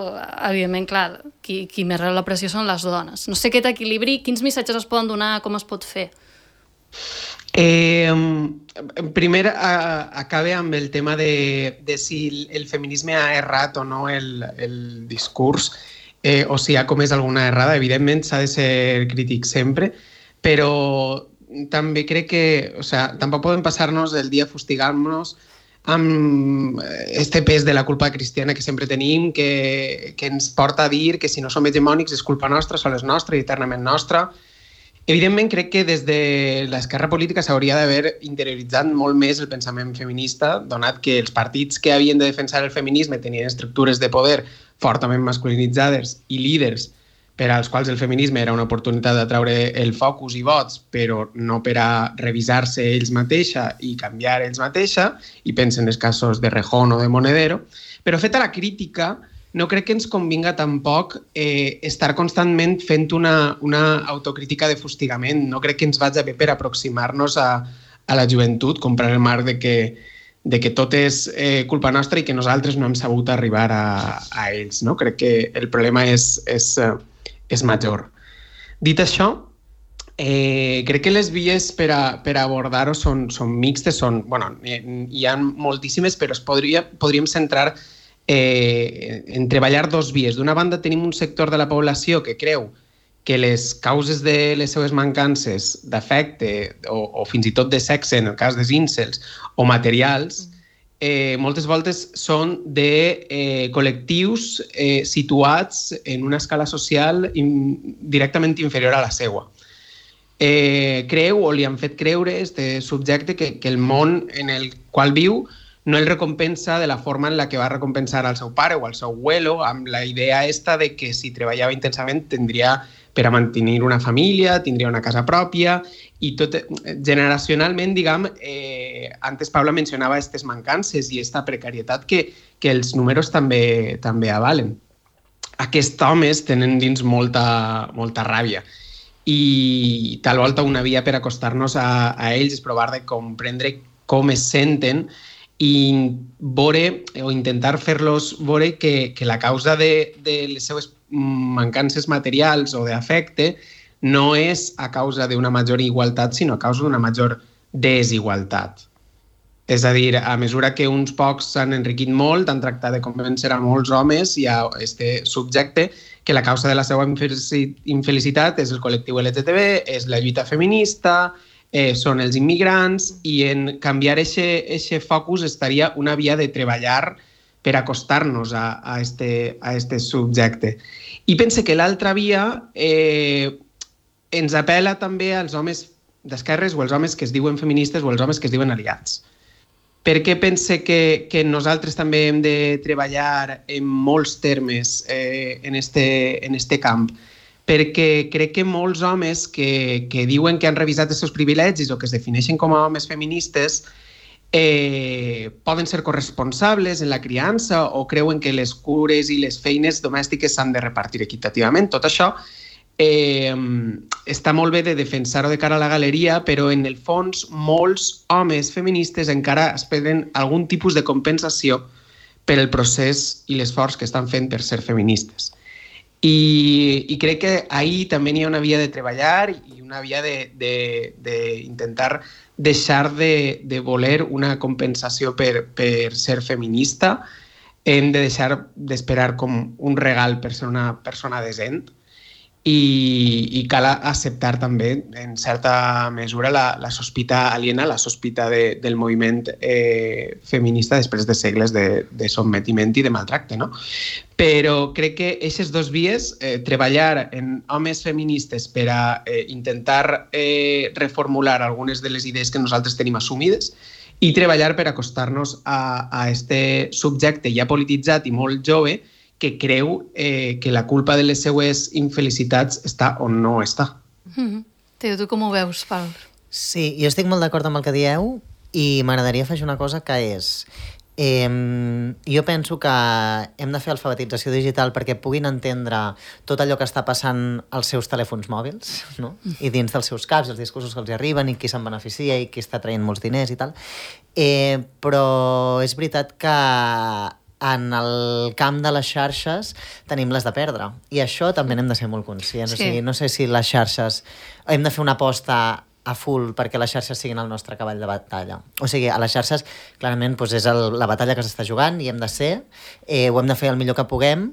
evidentment, clar, qui, qui més rep la pressió són les dones. No sé aquest equilibri, quins missatges es poden donar, com es pot fer? Eh, primer, a, acabe amb el tema de, de si el feminisme ha errat o no el, el discurs, eh, o si ha comès alguna errada. Evidentment, s'ha de ser crític sempre, però també crec que, o sea, tampoc podem passar-nos el dia fustigant-nos amb este pes de la culpa cristiana que sempre tenim, que, que ens porta a dir que si no som hegemònics és culpa nostra, sol és nostra i eternament nostra. Evidentment, crec que des de l'esquerra política s'hauria d'haver interioritzat molt més el pensament feminista, donat que els partits que havien de defensar el feminisme tenien estructures de poder fortament masculinitzades i líders per als quals el feminisme era una oportunitat de treure el focus i vots, però no per a revisar-se ells mateixa i canviar ells mateixa, i pensen en els casos de Rejón o de Monedero. Però feta la crítica, no crec que ens convinga tampoc eh, estar constantment fent una, una autocrítica de fustigament. No crec que ens vagi bé per aproximar-nos a, a la joventut, comprar el marc de que, de que tot és eh, culpa nostra i que nosaltres no hem sabut arribar a, a ells. No? Crec que el problema és... és és major. Dit això, eh, crec que les vies per a, per a abordar-ho són, són mixtes, són, bueno, hi ha moltíssimes, però es podria, podríem centrar eh, en treballar dos vies. D'una banda, tenim un sector de la població que creu que les causes de les seves mancances d'afecte o, o fins i tot de sexe, en el cas dels incels, o materials, Eh, moltes voltes són de eh, col·lectius eh, situats en una escala social in, directament inferior a la seva. Eh, creu o li han fet creure este subjecte que, que el món en el qual viu no el recompensa de la forma en la que va recompensar al seu pare o al seu abuelo, amb la idea esta de que si treballava intensament tindria per a mantenir una família, tindria una casa pròpia, i tot, generacionalment, diguem, eh, antes Paula mencionava aquestes mancances i aquesta precarietat que, que els números també, també avalen. Aquests homes tenen dins molta, molta ràbia i tal volta una via per acostar-nos a, a ells és provar de comprendre com es senten i veure, o intentar fer-los veure que, que la causa de, de les seves mancances materials o d'afecte no és a causa d'una major igualtat, sinó a causa d'una major desigualtat. És a dir, a mesura que uns pocs s'han enriquit molt, han tractat de convèncer a molts homes i a este subjecte que la causa de la seva infelicitat és el col·lectiu L G T B, és la lluita feminista, eh, són els immigrants, i en canviar aquest focus estaria una via de treballar per acostar-nos a, a, este, a este subjecte. I pense que l'altra via eh, ens apela també als homes d'esquerres o als homes que es diuen feministes o als homes que es diuen aliats. Per què pense que, que nosaltres també hem de treballar en molts termes eh, en, este, en este camp? Perquè crec que molts homes que, que diuen que han revisat els seus privilegis o que es defineixen com a homes feministes eh, poden ser corresponsables en la criança o creuen que les cures i les feines domèstiques s'han de repartir equitativament. Tot això Eh, està molt bé de defensar-ho de cara a la galeria, però en el fons molts homes feministes encara esperen algun tipus de compensació per el procés i l'esforç que estan fent per ser feministes. I, i crec que ahir també hi ha una via de treballar i una via d'intentar de, de, deixar de, de voler una compensació per, per ser feminista. Hem de deixar d'esperar com un regal per ser una persona decent. I, i cal acceptar també, en certa mesura, la, la sospita aliena, la sospita de, del moviment eh, feminista després de segles de, de sotmetiment i de maltracte, no? Però crec que aquestes dos vies, eh, treballar en homes feministes per a eh, intentar eh, reformular algunes de les idees que nosaltres tenim assumides i treballar per acostar-nos a, a este subjecte ja polititzat i molt jove que creu eh, que la culpa de les seues infelicitats està on no està. Mm-hmm. Teo, tu com ho veus, Pal? Sí, jo estic molt d'acord amb el que dieu i m'agradaria afegir una cosa que és... Eh, jo penso que hem de fer alfabetització digital perquè puguin entendre tot allò que està passant als seus telèfons mòbils, no? I dins dels seus caps, els discursos que els arriben i qui se'n beneficia i qui està traient molts diners i tal. Eh, però és veritat que en el camp de les xarxes tenim les de perdre. I això també n'hem de ser molt conscients. Sí. O sigui, no sé si les xarxes... Hem de fer una aposta a full perquè les xarxes siguin el nostre cavall de batalla. O sigui, a les xarxes, clarament, doncs és el, la batalla que s'està jugant i hem de ser, eh, ho hem de fer el millor que puguem,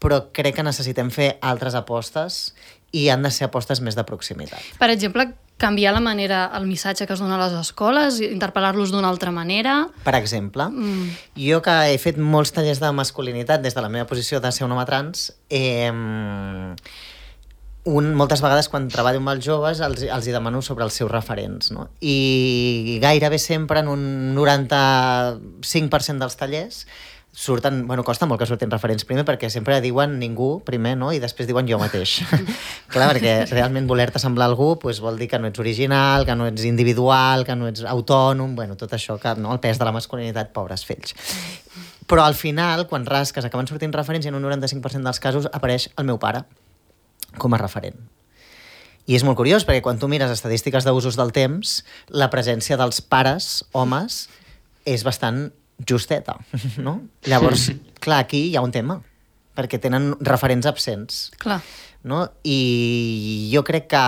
però crec que necessitem fer altres apostes i han de ser apostes més de proximitat. Per exemple, canviar la manera, el missatge que es dona a les escoles, interpel·lar-los d'una altra manera... Per exemple, mm. jo que he fet molts tallers de masculinitat des de la meva posició de ser un home trans, eh, un, moltes vegades quan treballo amb els joves els, els hi demano sobre els seus referents, no? I gairebé sempre en un noranta-cinc per cent dels tallers surten, bueno, costa molt que surtin referents primer perquè sempre diuen ningú primer, no? I després diuen jo mateix. Clar, perquè realment voler-te semblar a algú pues, vol dir que no ets original, que no ets individual, que no ets autònom, bueno, tot això, que, no? El pes de la masculinitat, pobres fills. Però al final, quan rasques, acaben sortint referents i en un noranta-cinc per cent dels casos apareix el meu pare com a referent. I és molt curiós perquè quan tu mires estadístiques d'usos del temps, la presència dels pares, homes, és bastant justeta, no? Llavors, clar, aquí hi ha un tema, perquè tenen referents absents. Clar. No? I jo crec que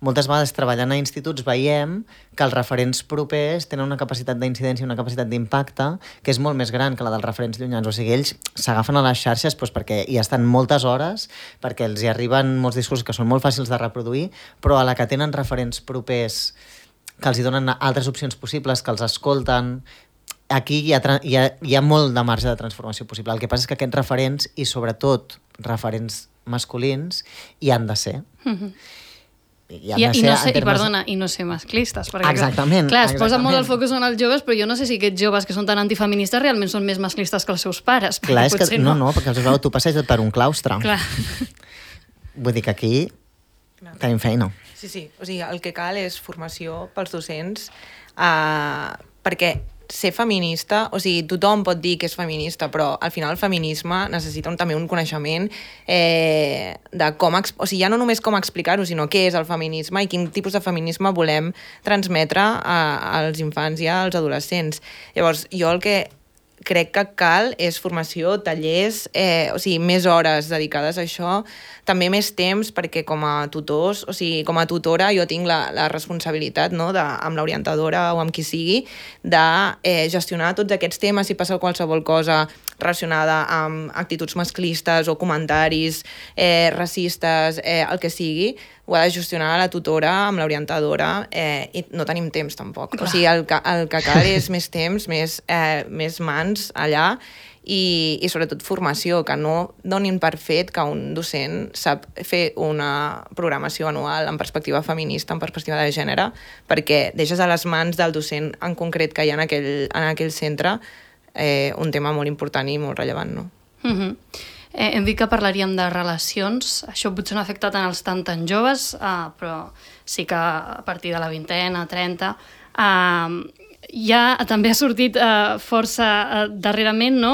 moltes vegades treballant a instituts veiem que els referents propers tenen una capacitat d'incidència i una capacitat d'impacte que és molt més gran que la dels referents llunyans. O sigui, ells s'agafen a les xarxes doncs, perquè hi estan moltes hores, perquè els hi arriben molts discursos que són molt fàcils de reproduir, però a la que tenen referents propers que els hi donen altres opcions possibles, que els escolten... Aquí hi ha, hi, ha, hi ha molt de marge de transformació possible. El que passa és que aquests referents, i sobretot referents masculins, hi han de ser. Mm-hmm. I, I, i, no ser, termes... i perdona, i no ser masclistes. Perquè, exactament. Clar, es exactament. posa molt el focus en els joves, però jo no sé si aquests joves que són tan antifeministes realment són més masclistes que els seus pares. Clar, és que no, no, perquè els veus, tu passeges per un claustre. Clar. Vull dir que aquí Clar. tenim feina. Sí, sí. O sigui, el que cal és formació pels docents, eh, perquè ser feminista, o sigui, tothom pot dir que és feminista, però al final el feminisme necessita un, també un coneixement eh, de com, o sigui, ja no només com explicar-ho, sinó què és el feminisme i quin tipus de feminisme volem transmetre a, als infants i als adolescents. Llavors, jo el que crec que cal és formació, tallers, eh, o sigui, més hores dedicades a això, també més temps, perquè com a tutors, o sigui, com a tutora jo tinc la, la responsabilitat, no?, de, amb l'orientadora o amb qui sigui, de eh, gestionar tots aquests temes si passa qualsevol cosa relacionada amb actituds masclistes o comentaris eh, racistes, eh, el que sigui, ho ha de gestionar la tutora amb l'orientadora eh, i no tenim temps tampoc. Clar. O sigui, el que, el que cal és més temps, més, eh, més mans allà i, i sobretot formació, que no donin per fet que un docent sap fer una programació anual en perspectiva feminista, en perspectiva de gènere, perquè deixes a les mans del docent en concret que hi ha en aquell, en aquell centre eh, un tema molt important i molt rellevant, no? Mhm. Eh, hem dit que parlaríem de relacions, això potser no ha afectat en els tan tan joves, eh, però sí que a partir de la vintena, trenta, eh, ja també ha sortit eh, força eh, darrerament, no?,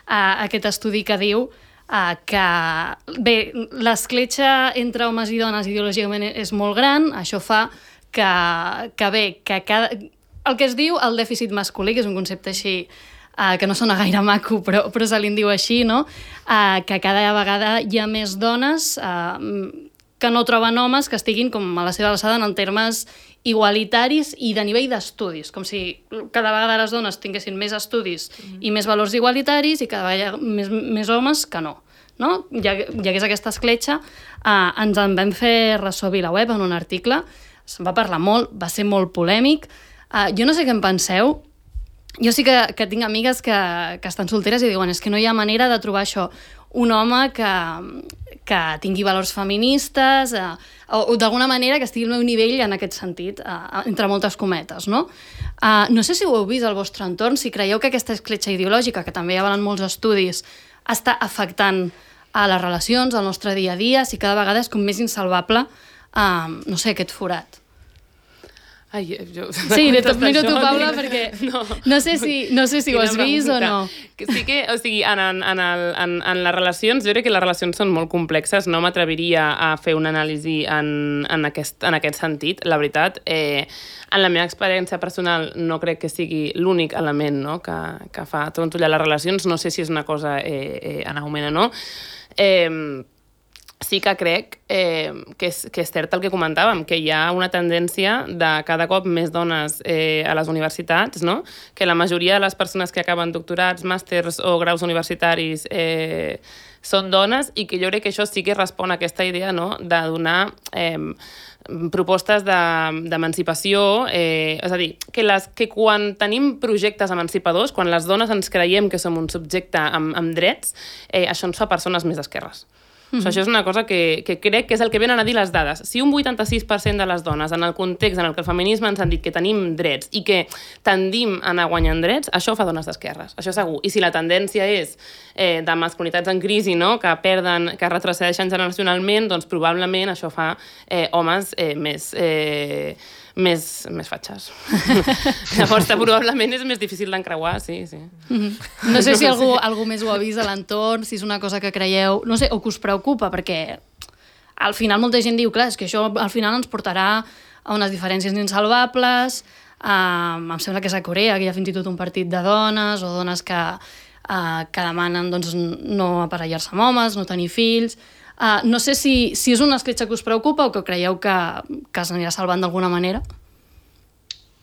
eh, aquest estudi que diu eh, que, bé, l'escletxa entre homes i dones ideològicament és molt gran, això fa que, que bé, que cada, el que es diu el dèficit masculí, que és un concepte així Uh, que no sona gaire maco, però, però se li en diu així, no? Uh, que cada vegada hi ha més dones uh, que no troben homes que estiguin com a la seva alçada en termes igualitaris i de nivell d'estudis, com si cada vegada les dones tinguessin més estudis mm. i més valors igualitaris i cada vegada més, més homes que no. No? Hi, ha, hi hagués aquesta escletxa, uh, ens en vam fer ressò a VilaWeb en un article, se'n va parlar molt, va ser molt polèmic. Uh, jo no sé què en penseu. Jo sí que, que tinc amigues que, que estan solteres i diuen és que no hi ha manera de trobar això, un home que, que tingui valors feministes eh, o, o d'alguna manera que estigui al meu nivell en aquest sentit, eh, entre moltes cometes, no? Eh, no sé si ho heu vist al vostre entorn, si creieu que aquesta escletxa ideològica, que també hi ha molts estudis, està afectant a les relacions, al nostre dia a dia, si cada vegada és com més insalvable, eh, no sé, aquest forat. Ai, jo... Sí, de tot miro tu, Paula, perquè no, no sé si, no sé si ho has vist o no. Sí que, o sigui, en, en, el, en, en les relacions, jo crec que les relacions són molt complexes, no m'atreviria a fer una anàlisi en, en, aquest, en aquest sentit, la veritat. Eh, en la meva experiència personal no crec que sigui l'únic element, no?, que, que fa trontollar les relacions, no sé si és una cosa eh, eh, en augment o no. Eh, Sí que crec eh, que, és, que és cert el que comentàvem, que hi ha una tendència de cada cop més dones eh, a les universitats, no? Que la majoria de les persones que acaben doctorats, màsters o graus universitaris eh, són dones i que jo crec que això sí que respon a aquesta idea, no?, de donar eh, propostes d'emancipació, eh, és a dir, que, les, que quan tenim projectes emancipadors, quan les dones ens creiem que som un subjecte amb, amb drets, eh, això ens fa persones més d'esquerres. Mm-hmm. O sigui, això és una cosa que, que crec que és el que venen a dir les dades. Si un vuitanta-sis per cent de les dones, en el context en el que el feminisme ens han dit que tenim drets i que tendim a anar guanyant drets, això fa dones d'esquerres, això segur. I si la tendència és eh, de masculinitats en crisi, no?, que perden, que retrocedeixen generacionalment, doncs probablement això fa eh, homes eh, més... Eh, més, més fatxes. Llavors, probablement és més difícil d'encreuar, sí, sí. Mm-hmm. No sé si algú, algú més ho ha vist a l'entorn, si és una cosa que creieu, no sé, o que us preocupa, perquè al final molta gent diu, clar, és que això al final ens portarà a unes diferències insalvables, uh, em sembla que és a Corea, que hi ha fins i tot un partit de dones, o dones que, uh, que demanen doncs, no aparellar-se amb homes, no tenir fills... Uh, no sé si, si és una escletxa que us preocupa o que creieu que, que s'anirà salvant d'alguna manera.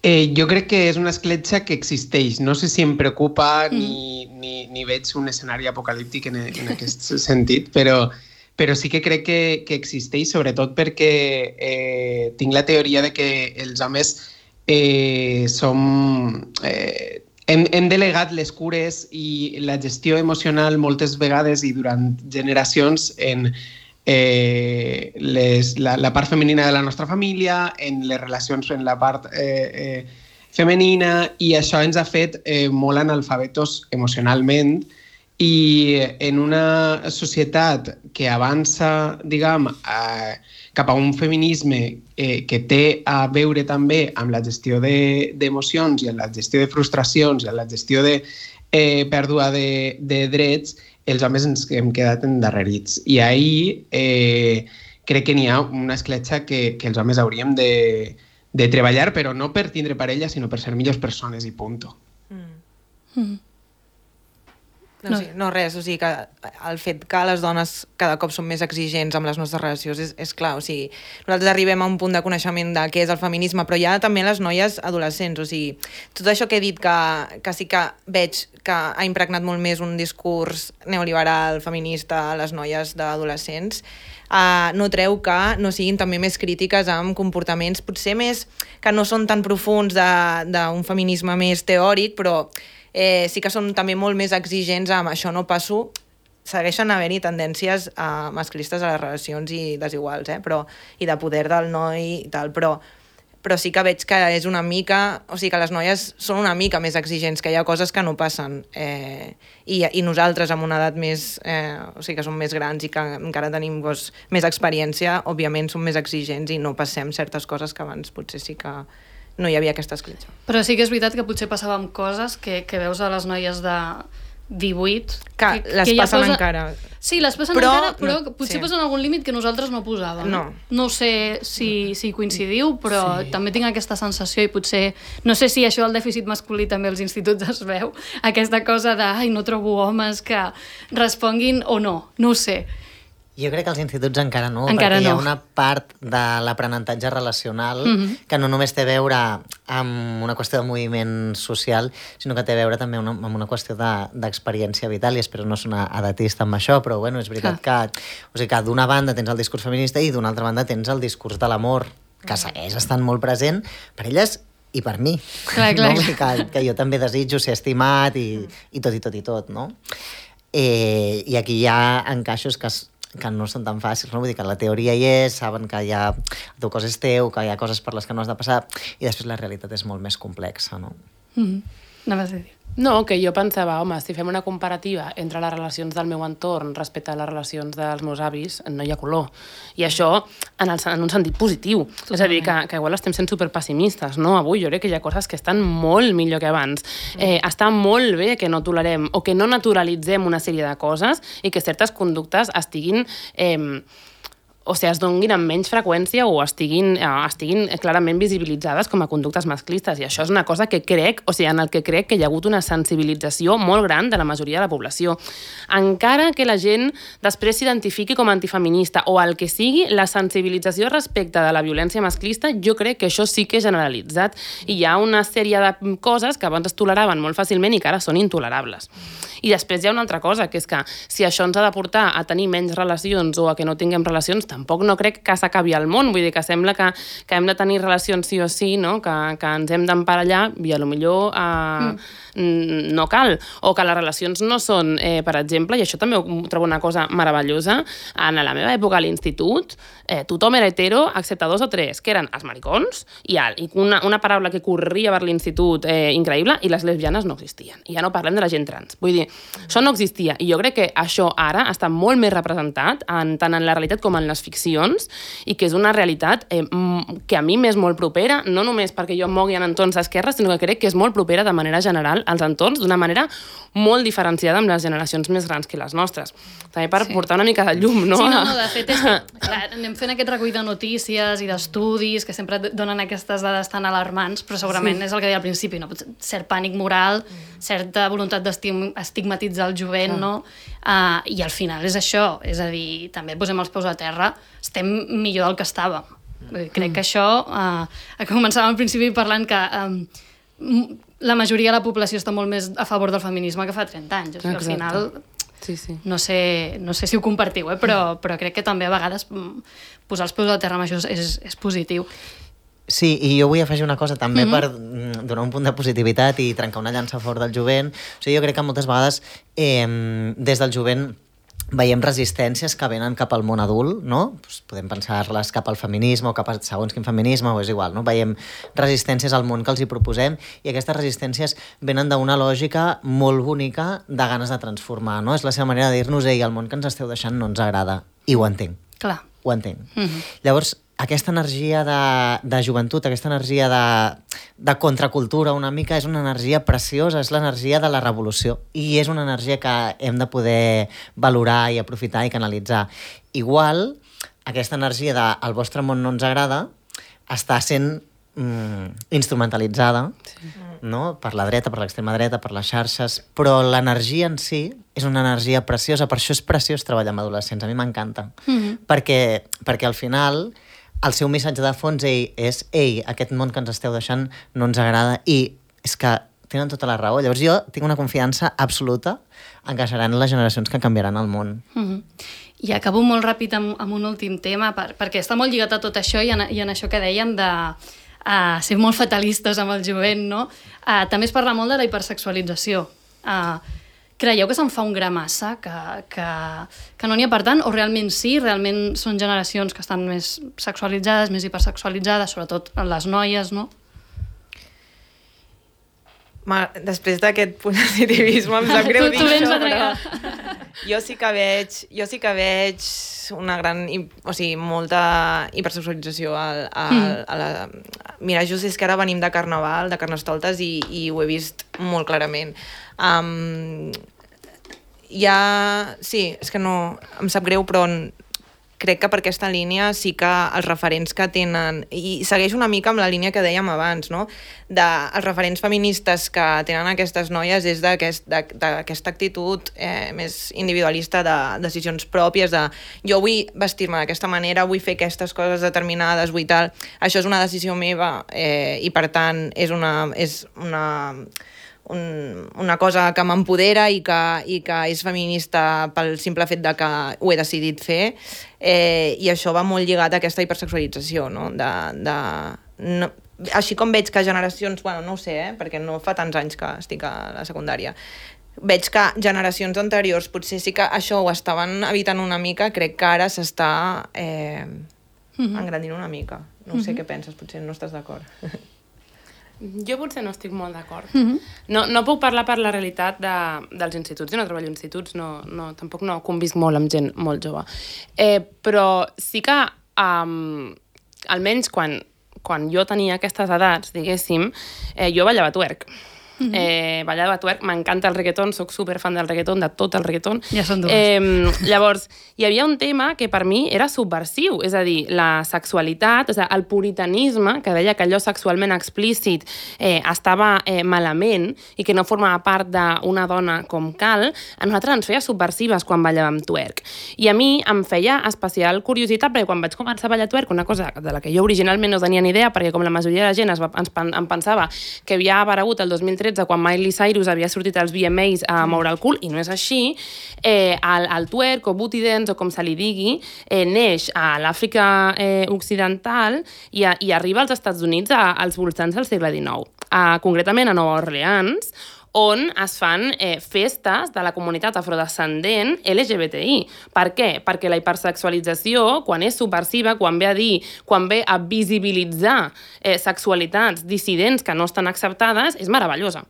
Eh, jo crec que és una escletxa que existeix. No sé si em preocupa mm. ni, ni, ni veig un escenari apocalíptic en, en aquest sentit, però, però sí que crec que, que existeix, sobretot perquè eh, tinc la teoria de que els homes eh, som... Eh, Hem, hem delegat les cures i la gestió emocional moltes vegades i durant generacions en eh, les, la, la part femenina de la nostra família, en les relacions en la part eh, eh, femenina, i això ens ha fet eh, molt analfabetos emocionalment, i en una societat que avança, diguem, eh, cap a un feminisme eh, que té a veure també amb la gestió d'emocions de, i amb la gestió de frustracions i amb la gestió de eh, pèrdua de, de drets, els homes ens hem quedat endarrerits. I ahir eh, crec que n'hi ha una escletxa que, que els homes hauríem de, de treballar, però no per tindre parella, sinó per ser millors persones i punto. Mm. Mm. No, no. Sí, no, res, o sigui que el fet que les dones cada cop són més exigents amb les nostres relacions és, és clar, o sigui, nosaltres arribem a un punt de coneixement de què és el feminisme, però hi ha també les noies adolescents, o sigui, tot això que he dit que, que sí que veig que ha impregnat molt més un discurs neoliberal, feminista a les noies d'adolescents, uh, no treu que no siguin també més crítiques amb comportaments potser més que no són tan profuns d'un feminisme més teòric, però Eh, sí que són també molt més exigents amb això no passo, segueixen havent-hi tendències uh, masclistes a les relacions i desiguals, eh? Però, i de poder del noi i tal, però, però sí que veig que és una mica, o sigui que les noies són una mica més exigents, que hi ha coses que no passen, eh, i, i nosaltres amb una edat més, eh, o sigui que som més grans i que encara tenim doncs, més experiència, òbviament som més exigents i no passem certes coses que abans potser sí que no hi havia aquesta escletxa. Però sí que és veritat que potser passava amb coses que, que veus a les noies de divuit... Que, que les que passen posa... encara. Sí, les passen però, encara, però no, potser sí. posen algun límit que nosaltres no posàvem. No. No sé si, si coincidiu, però sí. també tinc aquesta sensació i potser... No sé si això del dèficit masculí també als instituts es veu, aquesta cosa de ai, no trobo homes que responguin o no, no ho sé. Jo crec que als instituts encara no, encara perquè no. hi ha una part de l'aprenentatge relacional mm-hmm. que no només té a veure amb una qüestió de moviment social, sinó que té a veure també una, amb una qüestió d'experiència de, vital, i espero no sonar edatista amb això, però bueno, és veritat ah. que, o sigui, que d'una banda tens el discurs feminista i d'una altra banda tens el discurs de l'amor, que segueix estant molt present per elles i per mi. Clar, clar, no? que, que jo també desitjo ser estimat i, i tot i tot i tot, no? Eh, I aquí hi ha encaixos que es que no són tan fàcils, no? Vull dir que la teoria hi és, saben que hi ha el teu cos és teu, que hi ha coses per les que no has de passar, i després la realitat és molt més complexa, no? Mm-hmm. Anaves a dir. No, que jo pensava, home, si fem una comparativa entre les relacions del meu entorn respecte a les relacions dels meus avis, no hi ha color. I això en, el, en un sentit positiu. Totalment. És a dir, que, que igual estem sent superpessimistes, no? Avui jo crec que hi ha coses que estan molt millor que abans. Eh, està molt bé que no tolerem o que no naturalitzem una sèrie de coses i que certes conductes estiguin... Eh, o sigui, es donguin amb menys freqüència o estiguin, eh, estiguin clarament visibilitzades com a conductes masclistes. I això és una cosa que crec, o sigui, en el que crec que hi ha hagut una sensibilització molt gran de la majoria de la població. Encara que la gent després s'identifiqui com a antifeminista o el que sigui, la sensibilització respecte de la violència masclista, jo crec que això sí que és generalitzat. I hi ha una sèrie de coses que abans es toleraven molt fàcilment i que ara són intolerables. I després hi ha una altra cosa, que és que si això ens ha de portar a tenir menys relacions o a que no tinguem relacions, tampoc no crec que s'acabi el món. Vull dir que sembla que, que hem de tenir relacions sí o sí, no? que, que ens hem d'emparellar i a lo millor eh, mm. no cal. O que les relacions no són, eh, per exemple, i això també ho trobo una cosa meravellosa, en la meva època a l'institut, eh, tothom era hetero, excepte dos o tres, que eren els maricons, i, el, i una, una paraula que corria per l'institut eh, increïble, i les lesbianes no existien. I ja no parlem de la gent trans. Vull dir, això no existia. I jo crec que això ara està molt més representat, en, tant en la realitat com en les ficcions, i que és una realitat eh, que a mi m'és molt propera, no només perquè jo em mogui en entorns d'esquerra, sinó que crec que és molt propera de manera general als entorns, d'una manera molt diferenciada amb les generacions més grans que les nostres. També per sí. portar una mica de llum, no? Sí, no, no, de fet, és que, clar, anem fent aquest recull de notícies i d'estudis que sempre donen aquestes dades tan alarmants, però segurament sí. és el que deia al principi, no? Cert pànic moral, certa voluntat d'estigmatitzar el jovent, no? Uh, I al final és això, és a dir, també posem els peus a terra, estem millor del que estàvem. Crec que això, uh, començàvem al principi parlant que um, la majoria de la població està molt més a favor del feminisme que fa trenta anys. O sigui, al final, sí, sí. No, sé, no sé si ho compartiu, eh? però, però crec que també a vegades posar els peus a terra amb això és, és positiu. Sí, i jo vull afegir una cosa també mm-hmm. per donar un punt de positivitat i trencar una llança a favor del jovent. O sigui, jo crec que moltes vegades eh, des del jovent veiem resistències que venen cap al món adult, no? Pues podem pensar-les cap al feminisme o cap a segons quin feminisme, o és igual, no? Veiem resistències al món que els hi proposem i aquestes resistències venen d'una lògica molt bonica de ganes de transformar, no? És la seva manera de dir-nos, ei, el món que ens esteu deixant no ens agrada. I ho entenc. Clar. Ho entenc. Mm-hmm. Llavors, aquesta energia de, de joventut, aquesta energia de, de contracultura una mica, és una energia preciosa, és l'energia de la revolució i és una energia que hem de poder valorar i aprofitar i canalitzar. Igual, aquesta energia de el vostre món no ens agrada està sent mm, instrumentalitzada, sí. no? Per la dreta, per l'extrema dreta, per les xarxes, però l'energia en si és una energia preciosa, per això és preciós treballar amb adolescents, a mi m'encanta. Mm-hmm. perquè, perquè al final el seu missatge de fons ell, és ei, aquest món que ens esteu deixant no ens agrada, i és que tenen tota la raó. Llavors jo tinc una confiança absoluta en que seran les generacions que canviaran el món. Mm-hmm. I acabo molt ràpid amb, amb un últim tema, per, perquè està molt lligat a tot això i en, i en això que dèiem de uh, ser molt fatalistes amb el jovent, no? Uh, també es parla molt de la hipersexualització. Uh, creieu que se'n fa un gra massa, que, que, que no n'hi ha per tant, o realment sí, realment són generacions que estan més sexualitzades, més hipersexualitzades, sobretot les noies, no? Ma, després d'aquest positivisme em sap greu dir això, però jo sí que veig, jo sí que veig una gran, o sigui, molta hipersexualització al, al, mm. a la... Mira, just és que ara venim de Carnaval, de Carnestoltes, i, i ho he vist molt clarament. Um, ja... Sí, és que no... Em sap greu, però crec que per aquesta línia sí que els referents que tenen, i segueix una mica amb la línia que dèiem abans, no? De, els referents feministes que tenen aquestes noies és d'aquesta aquest, actitud eh, més individualista de decisions pròpies, de jo vull vestir-me d'aquesta manera, vull fer aquestes coses determinades, vull tal, això és una decisió meva eh, i per tant és una... És una Un, una cosa que m'empodera i que, i que és feminista pel simple fet de que ho he decidit fer, eh, i això va molt lligat a aquesta hipersexualització, no? De, de, no, així com veig que generacions, bueno, no ho sé, eh, perquè no fa tants anys que estic a la secundària, veig que generacions anteriors potser sí que això ho estaven evitant una mica, crec que ara s'està eh, mm-hmm. engrandint una mica. No mm-hmm. sé què penses, potser no estàs d'acord. Jo potser no estic molt d'acord. Mm-hmm. No, no puc parlar per la realitat de, dels instituts. Jo no treballo a instituts, no, no, tampoc no convisc molt amb gent molt jove. Eh, però sí que, um, almenys quan, quan jo tenia aquestes edats, diguéssim, eh, jo ballava twerk. Mm-hmm. eh, ballava twerk, m'encanta el reggaeton, soc superfan del reggaeton, de tot el reggaeton. Ja són dues. Eh, llavors, hi havia un tema que per mi era subversiu, és a dir, la sexualitat, o sigui, el puritanisme, que deia que allò sexualment explícit eh, estava eh, malament i que no formava part d'una dona com cal, a nosaltres ens feia subversives quan ballàvem twerk. I a mi em feia especial curiositat, perquè quan vaig començar a ballar twerk, una cosa de la que jo originalment no tenia ni idea, perquè com la majoria de la gent es va, ens, em pensava que havia aparegut el dos mil tretze quan Miley Cyrus havia sortit als V M As a moure el cul, i no és així. Eh, el, el twerk o booty dance, o com se li digui, eh, neix a l'Àfrica eh, occidental i, a, i arriba als Estats Units a, als voltants del segle dinou. A, concretament a Nova Orleans, on es fan eh, festes de la comunitat afrodescendent L G B T I. Per què? Perquè la hipersexualització, quan és subversiva, quan ve a dir, quan ve a visibilitzar eh, sexualitats dissidents que no estan acceptades, és meravellosa.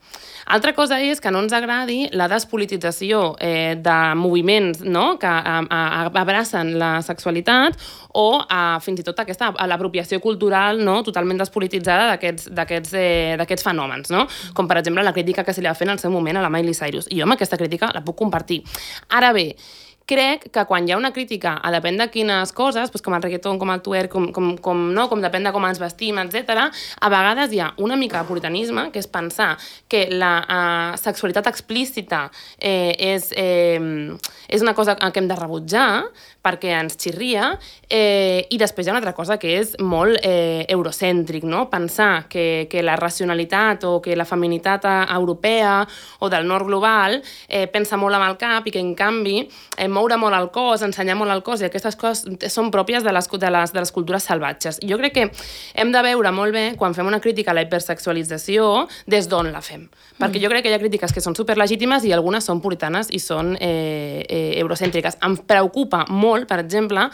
Altra cosa és que no ens agradi la despolitització eh, de moviments, no?, que a, a, abracen la sexualitat, o a, fins i tot aquesta l'apropiació cultural, no?, totalment despolititzada d'aquests d'aquests eh, d'aquests fenòmens, no? Com per exemple la crítica que se li va fer en el seu moment a la Miley Cyrus. I jo amb aquesta crítica la puc compartir. Ara bé, crec que quan hi ha una crítica a depèn de quines coses, doncs com el reggaeton, com el twerk, com, com, com, no? com depèn de com ens vestim, etcètera, a vegades hi ha una mica de puritanisme, que és pensar que la uh, sexualitat explícita eh, és, eh, és una cosa que hem de rebutjar perquè ens xirria, eh, i després hi ha una altra cosa que és molt eh, eurocèntric, no? Pensar que, que la racionalitat o que la feminitat europea o del nord global eh, pensa molt amb el cap i que, en canvi, eh, moure molt el cos, ensenyar molt el cos, i aquestes coses són pròpies de les, de les, de les cultures salvatges. Jo crec que hem de veure molt bé, quan fem una crítica a la hipersexualització, des d'on la fem. Perquè mm. jo crec que hi ha crítiques que són superlegítimes i algunes són puritanes i són eh, eh, eurocèntriques. Em preocupa molt, per exemple,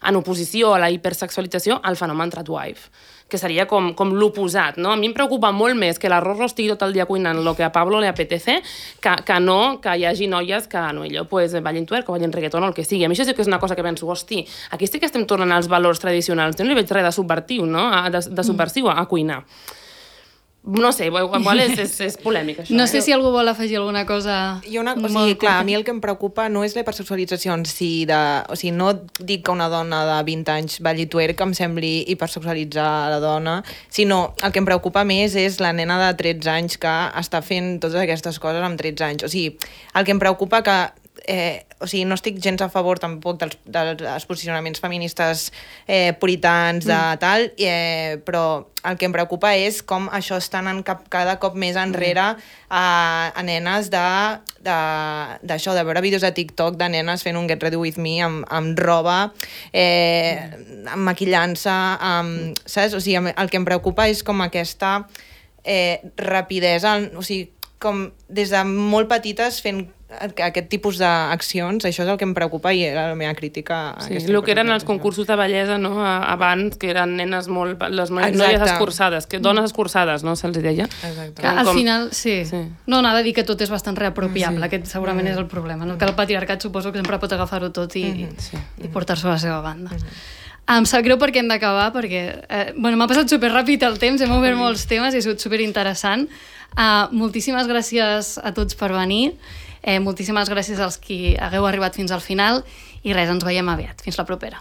en oposició a la hipersexualització, al fenomen tradwife, que seria com, com l'oposat, no? A mi em preocupa molt més que la Rorro estigui tot el dia cuinant el que a Pablo le apetece, que, que no que hi hagi noies que, no, allò, pues, ballin twerk o ballin reggaeton o el que sigui. A mi això sí que és una cosa que penso, hosti, aquí sí que estem tornant als valors tradicionals, jo no li veig res de subvertiu, no? De, de subversiu a, a cuinar. No sé, igual és, és, és polèmic, això. No eh? sé si algú vol afegir alguna cosa... I una, o sigui, clar, a mi el que em preocupa no és la hipersexualització en si de... O sigui, no dic que una dona de vint anys balli twerk em sembli hipersexualitzar la dona, sinó el que em preocupa més és la nena de tretze anys que està fent totes aquestes coses amb tretze anys. O sigui, el que em preocupa que Eh, o sigui, no estic gens a favor tampoc dels, dels posicionaments feministes eh, puritans de mm. tal, eh, però el que em preocupa és com això està anant cap, cada cop més enrere a, a nenes de, de, d'això, de veure vídeos de TikTok de nenes fent un Get Ready With Me amb, amb roba, eh, amb maquillant-se, amb, saps? O sigui, el que em preocupa és com aquesta eh, rapidesa, o sigui, com des de molt petites fent aquest tipus d'accions, això és el que em preocupa i era la meva crítica. A sí, el que eren els concursos de bellesa, no? Abans, que eren nenes molt... les noies escurçades, que dones escurçades, no? Se'ls deia. Exacte. Que, al com... final, sí. sí. No, anava a dir que tot és bastant reapropiable, sí. Aquest segurament mm. és el problema, no? Que el patriarcat suposo que sempre pot agafar-ho tot i, mm-hmm. sí. i portar-s'ho a la seva banda. Mm-hmm. Em sap greu perquè hem d'acabar, perquè eh, bueno, m'ha passat superràpid el temps, hem obert molts temes i ha sigut superinteressant. Uh, moltíssimes gràcies a tots per venir. Eh, moltíssimes gràcies als qui hagueu arribat fins al final i res, ens veiem aviat. Fins la propera.